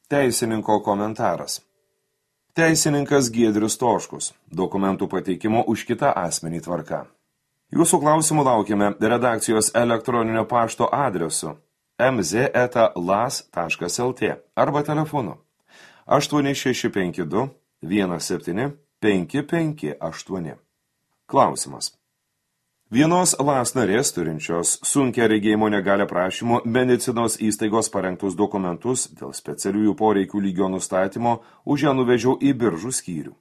Teisininko komentaras. Teisininkas Giedrius Toškus. Dokumentų pateikimo už kitą asmenį tvarka. Jūsų klausimų laukiame redakcijos elektroninio pašto adresu mz@las.lt arba telefonu 8652 17 558. Klausimas. Vienos LAS narės turinčios sunkia regėjimo negalią prašymo medicinos įstaigos parengtus dokumentus dėl specialiųjų poreikių lygio nustatymo už ją nuvežiau į biržų skyrių.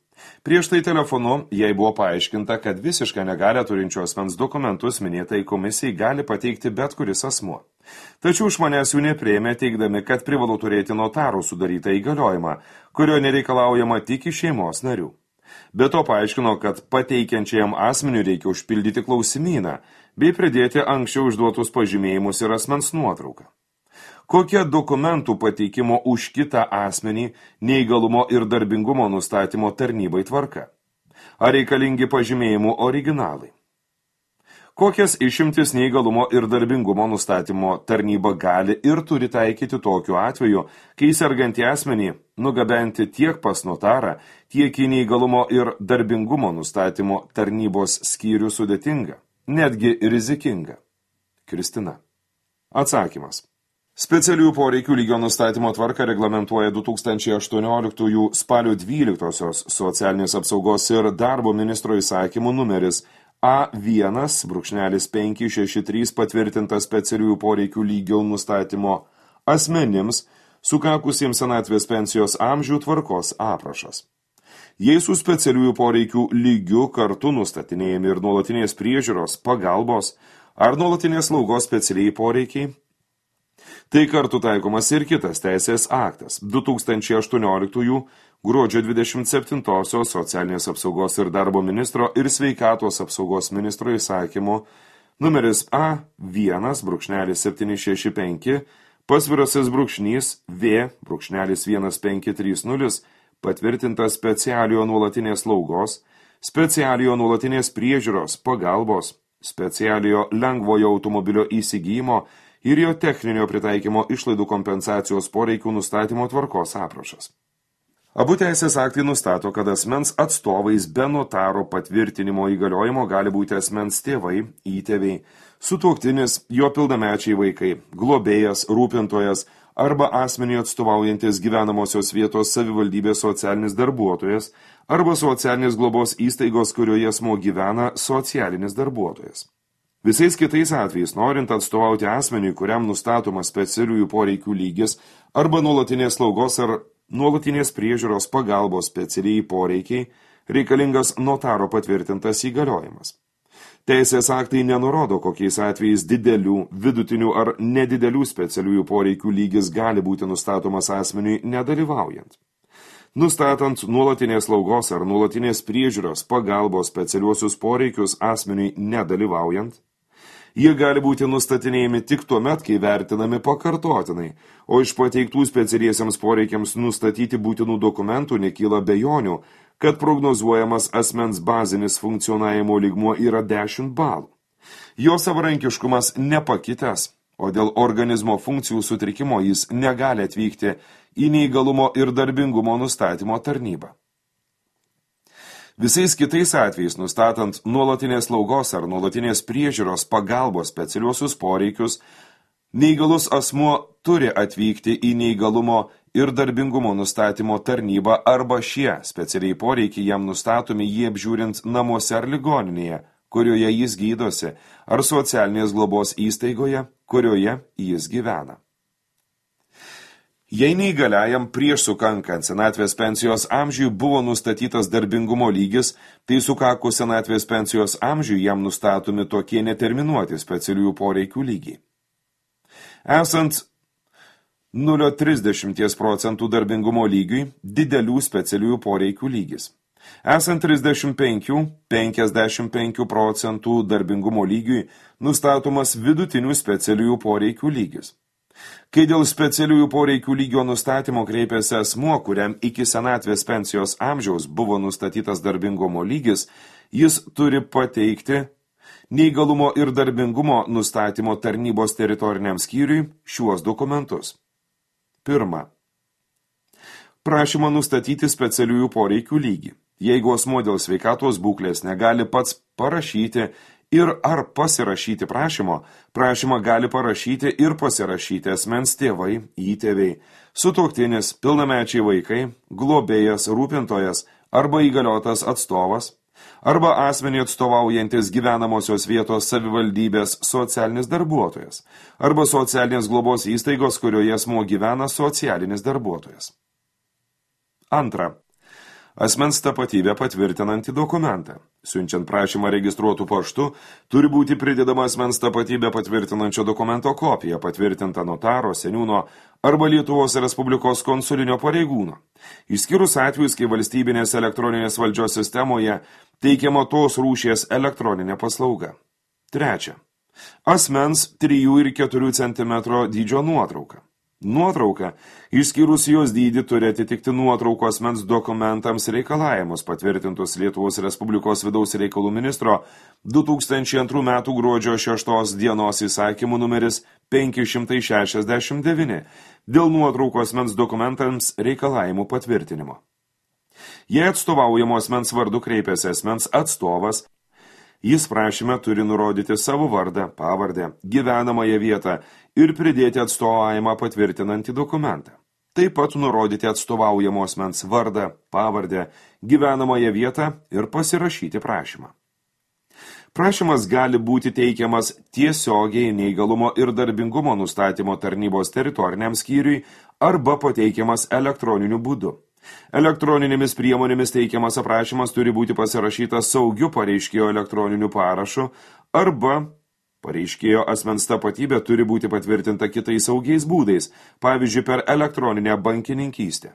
Prieš tai telefonu jai buvo paaiškinta, kad visišką negalią turinčio asmens dokumentus minėtai komisijai gali pateikti bet kuris asmuo. Tačiau iš manęs jų nepriėmė, teigdami, kad privalu turėti notarų sudarytą įgaliojimą, kurio nereikalaujama tik iš šeimos narių. Be to paaiškino, kad pateikiančiajam asmeniui reikia užpildyti klausimyną bei pridėti anksčiau užduotus pažymėjimus ir asmens nuotrauką. Kokia dokumentų pateikimo už kitą asmenį neįgalumo ir darbingumo nustatymo tarnybai tvarka? Ar reikalingi pažymėjimų originalai? Kokias išimtis neįgalumo ir darbingumo nustatymo tarnyba gali ir turi taikyti tokiu atveju, kai sergantį asmenį nugabenti tiek pas notarą, tiek į neįgalumo ir darbingumo nustatymo tarnybos skyrių sudėtinga, netgi rizikinga? Kristina. Atsakymas. Specialiųjų poreikių lygio nustatymo tvarką reglamentuoja 2018 spalio 12 socialinės apsaugos ir darbo ministro įsakymų numeris A1-563 patvirtintas specialiųjų poreikių lygio nustatymo asmenims sukakusiems senatvės pensijos amžių tvarkos aprašas. Jei su specialiųjų poreikių lygiu kartu nustatinėjami ir nuolatinės priežiūros, pagalbos ar nuolatinės slaugos specialiai poreikiai, tai kartu taikomas ir kitas teisės aktas 2018 gruodžio 27 socialinės apsaugos ir darbo ministro ir sveikatos apsaugos ministro įsakymu numeris A1-765 pasvirasis brūkšnys V-1530 patvirtintas specialiojo nuolatinės slaugos, specialiojo nuolatinės priežiūros, pagalbos, specialiojo lengvojo automobilio įsigijimo ir jo techninio pritaikymo išlaidų kompensacijos poreikių nustatymo tvarkos aprašas. Abu teisės aktai nustato, kad asmens atstovais be notaro patvirtinimo įgaliojimo gali būti asmens tėvai, įtėviai, sutuoktinis, jo pilnamečiai vaikai, globėjas, rūpintojas arba asmeniui atstovaujantis gyvenamosios vietos savivaldybės socialinis darbuotojas arba socialinės globos įstaigos, kurioje asmuo gyvena, socialinis darbuotojas. Visais kitais atvejais, norint atstovauti asmeniui, kuriam nustatomas specialiųjų poreikių lygis arba nuolatinės slaugos ar nuolatinės priežiūros pagalbos specialiai poreikiai, reikalingas notaro patvirtintas įgaliojimas. Teisės aktai nenurodo, kokiais atvejais didelių, vidutinių ar nedidelių specialiųjų poreikių lygis gali būti nustatomas asmeniui nedalyvaujant. Nustatant nuolatinės slaugos ar nuolatinės priežiūros pagalbos specialiuosius poreikius asmeniui nedalyvaujant, jie gali būti nustatinėjami tik tuomet, kai vertinami pakartotinai, o iš pateiktų specialiesiems poreikiams nustatyti būtinų dokumentų nekyla bejonių, kad prognozuojamas asmens bazinis funkcionavimo lygmuo yra 10 balų. Jo savarankiškumas nepakitęs, o dėl organizmo funkcijų sutrikimo jis negali atvykti į neįgalumo ir darbingumo nustatymo tarnybą. Visais kitais atvejais, nustatant nuolatinės slaugos ar nuolatinės priežiūros pagalbos specialiuosius poreikius, neįgalus asmuo turi atvykti į neįgalumo ir darbingumo nustatymo tarnybą arba šie specialiai poreikiai jam nustatomi jį apžiūrint namuose ar ligoninėje, kurioje jis gydosi, ar socialinės globos įstaigoje, kurioje jis gyvena. Jei neįgaliajam prieš sukankant senatvės pensijos amžiui buvo nustatytas darbingumo lygis, tai sukakus senatvės pensijos amžiui jam nustatomi tokie neterminuoti specialiųjų poreikių lygiai. Esant 0,30% darbingumo lygiui, didelių specialiųjų poreikių lygis. Esant 35–55% darbingumo lygiui, nustatomas vidutinių specialiųjų poreikių lygis. Kai dėl specialiųjų poreikių lygio nustatymo kreipėsi asmuo, kuriam iki senatvės pensijos amžiaus buvo nustatytas darbingumo lygis, jis turi pateikti neįgalumo ir darbingumo nustatymo tarnybos teritoriniam skyriui šiuos dokumentus. Pirma. prašymą nustatyti specialiųjų poreikių lygį. Jeigu asmuo dėl sveikatos būklės negali pats parašyti ir ar pasirašyti prašymo, prašymą gali parašyti ir pasirašyti asmens tėvai, įtėviai, sutuoktinis, pilnamečiai vaikai, globėjas, rūpintojas arba įgaliotas atstovas, arba asmenį atstovaujantis gyvenamosios vietos savivaldybės socialinis darbuotojas, arba socialinės globos įstaigos, kurioje asmuo gyvena socialinis darbuotojas. Antra. Asmens tapatybę patvirtinantį dokumentą. Siunčiant prašymą registruotų paštu, turi būti pridedama asmens tapatybę patvirtinančio dokumento kopija, patvirtinta notaro, seniūno arba Lietuvos Respublikos konsulinio pareigūno. Išskyrus atvejus, kai valstybinės elektroninės valdžios sistemoje teikiama tos rūšies elektroninė paslauga. Trečia. Asmens 3 ir 4 cm dydžio nuotrauka. Nuotrauka, išskyrus jos dydį, turi atitikti nuotrauko asmens dokumentams reikalavimus patvirtintus Lietuvos Respublikos vidaus reikalų ministro 2002 m. gruodžio 6 dienos įsakymų numeris 569 dėl nuotrauko asmens dokumentams reikalavimų patvirtinimo. Jei atstovaujamo asmens vardu kreipiasi asmens atstovas, jis prašyme turi nurodyti savo vardą, pavardę, gyvenamąją vietą ir pridėti atstovavimą patvirtinantį dokumentą. Taip pat nurodyti atstovaujamo asmens vardą, pavardę, gyvenamąją vietą ir pasirašyti prašymą. Prašymas gali būti teikiamas tiesiogiai neįgalumo ir darbingumo nustatymo tarnybos teritoriniam skyriui arba pateikiamas elektroniniu būdu. Elektroninėmis priemonėmis teikiamas aprašymas turi būti pasirašytas saugiu pareiškėjo elektroniniu parašu arba pareiškėjo asmens tapatybė turi būti patvirtinta kitais saugiais būdais, pavyzdžiui, per elektroninę bankininkystę.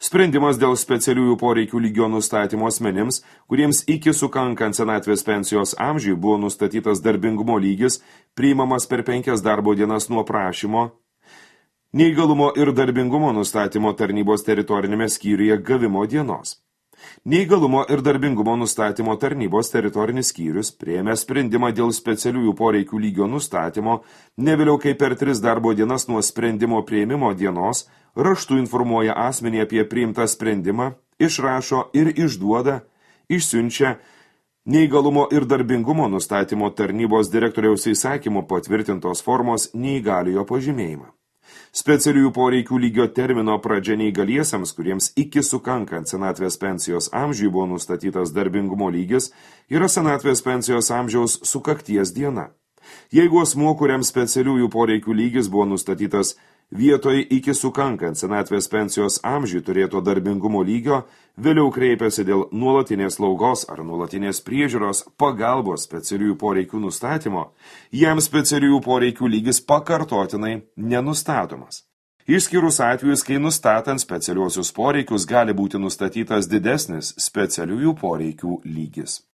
Sprendimas dėl specialiųjų poreikių lygio nustatymo asmenims, kuriems iki sukankant senatvės pensijos amžiui buvo nustatytas darbingumo lygis, priimamas per 5 darbo dienas nuo prašymo, neįgalumo ir darbingumo nustatymo tarnybos teritorinėme skyriuje gavimo dienos. Neįgalumo ir darbingumo nustatymo tarnybos teritorinis skyrius priėmė sprendimą dėl specialiųjų poreikių lygio nustatymo ne vėliau kaip per 3 darbo dienas nuo sprendimo priėmimo dienos raštu informuoja asmenį apie priimtą sprendimą, išrašo ir išduoda, išsiunčia neįgalumo ir darbingumo nustatymo tarnybos direktoriaus įsakymu patvirtintos formos neįgaliojo pažymėjimą. Specialiųjų poreikių lygio termino pradžia neįgaliesiems, kuriems iki sukankant senatvės pensijos amžiui buvo nustatytas darbingumo lygis, yra senatvės pensijos amžiaus sukakties diena. Jeigu asmuo, kuriam specialiųjų poreikių lygis buvo nustatytas vietoj iki sukankant senatvės pensijos amžiui turėto darbingumo lygio, vėliau kreipiasi dėl nuolatinės slaugos ar nuolatinės priežiūros pagalbos specialiųjų poreikių nustatymo, jam specialiųjų poreikių lygis pakartotinai nenustatomas. Išskyrus atvejus, kai nustatant specialiuosius poreikius gali būti nustatytas didesnis specialiųjų poreikių lygis.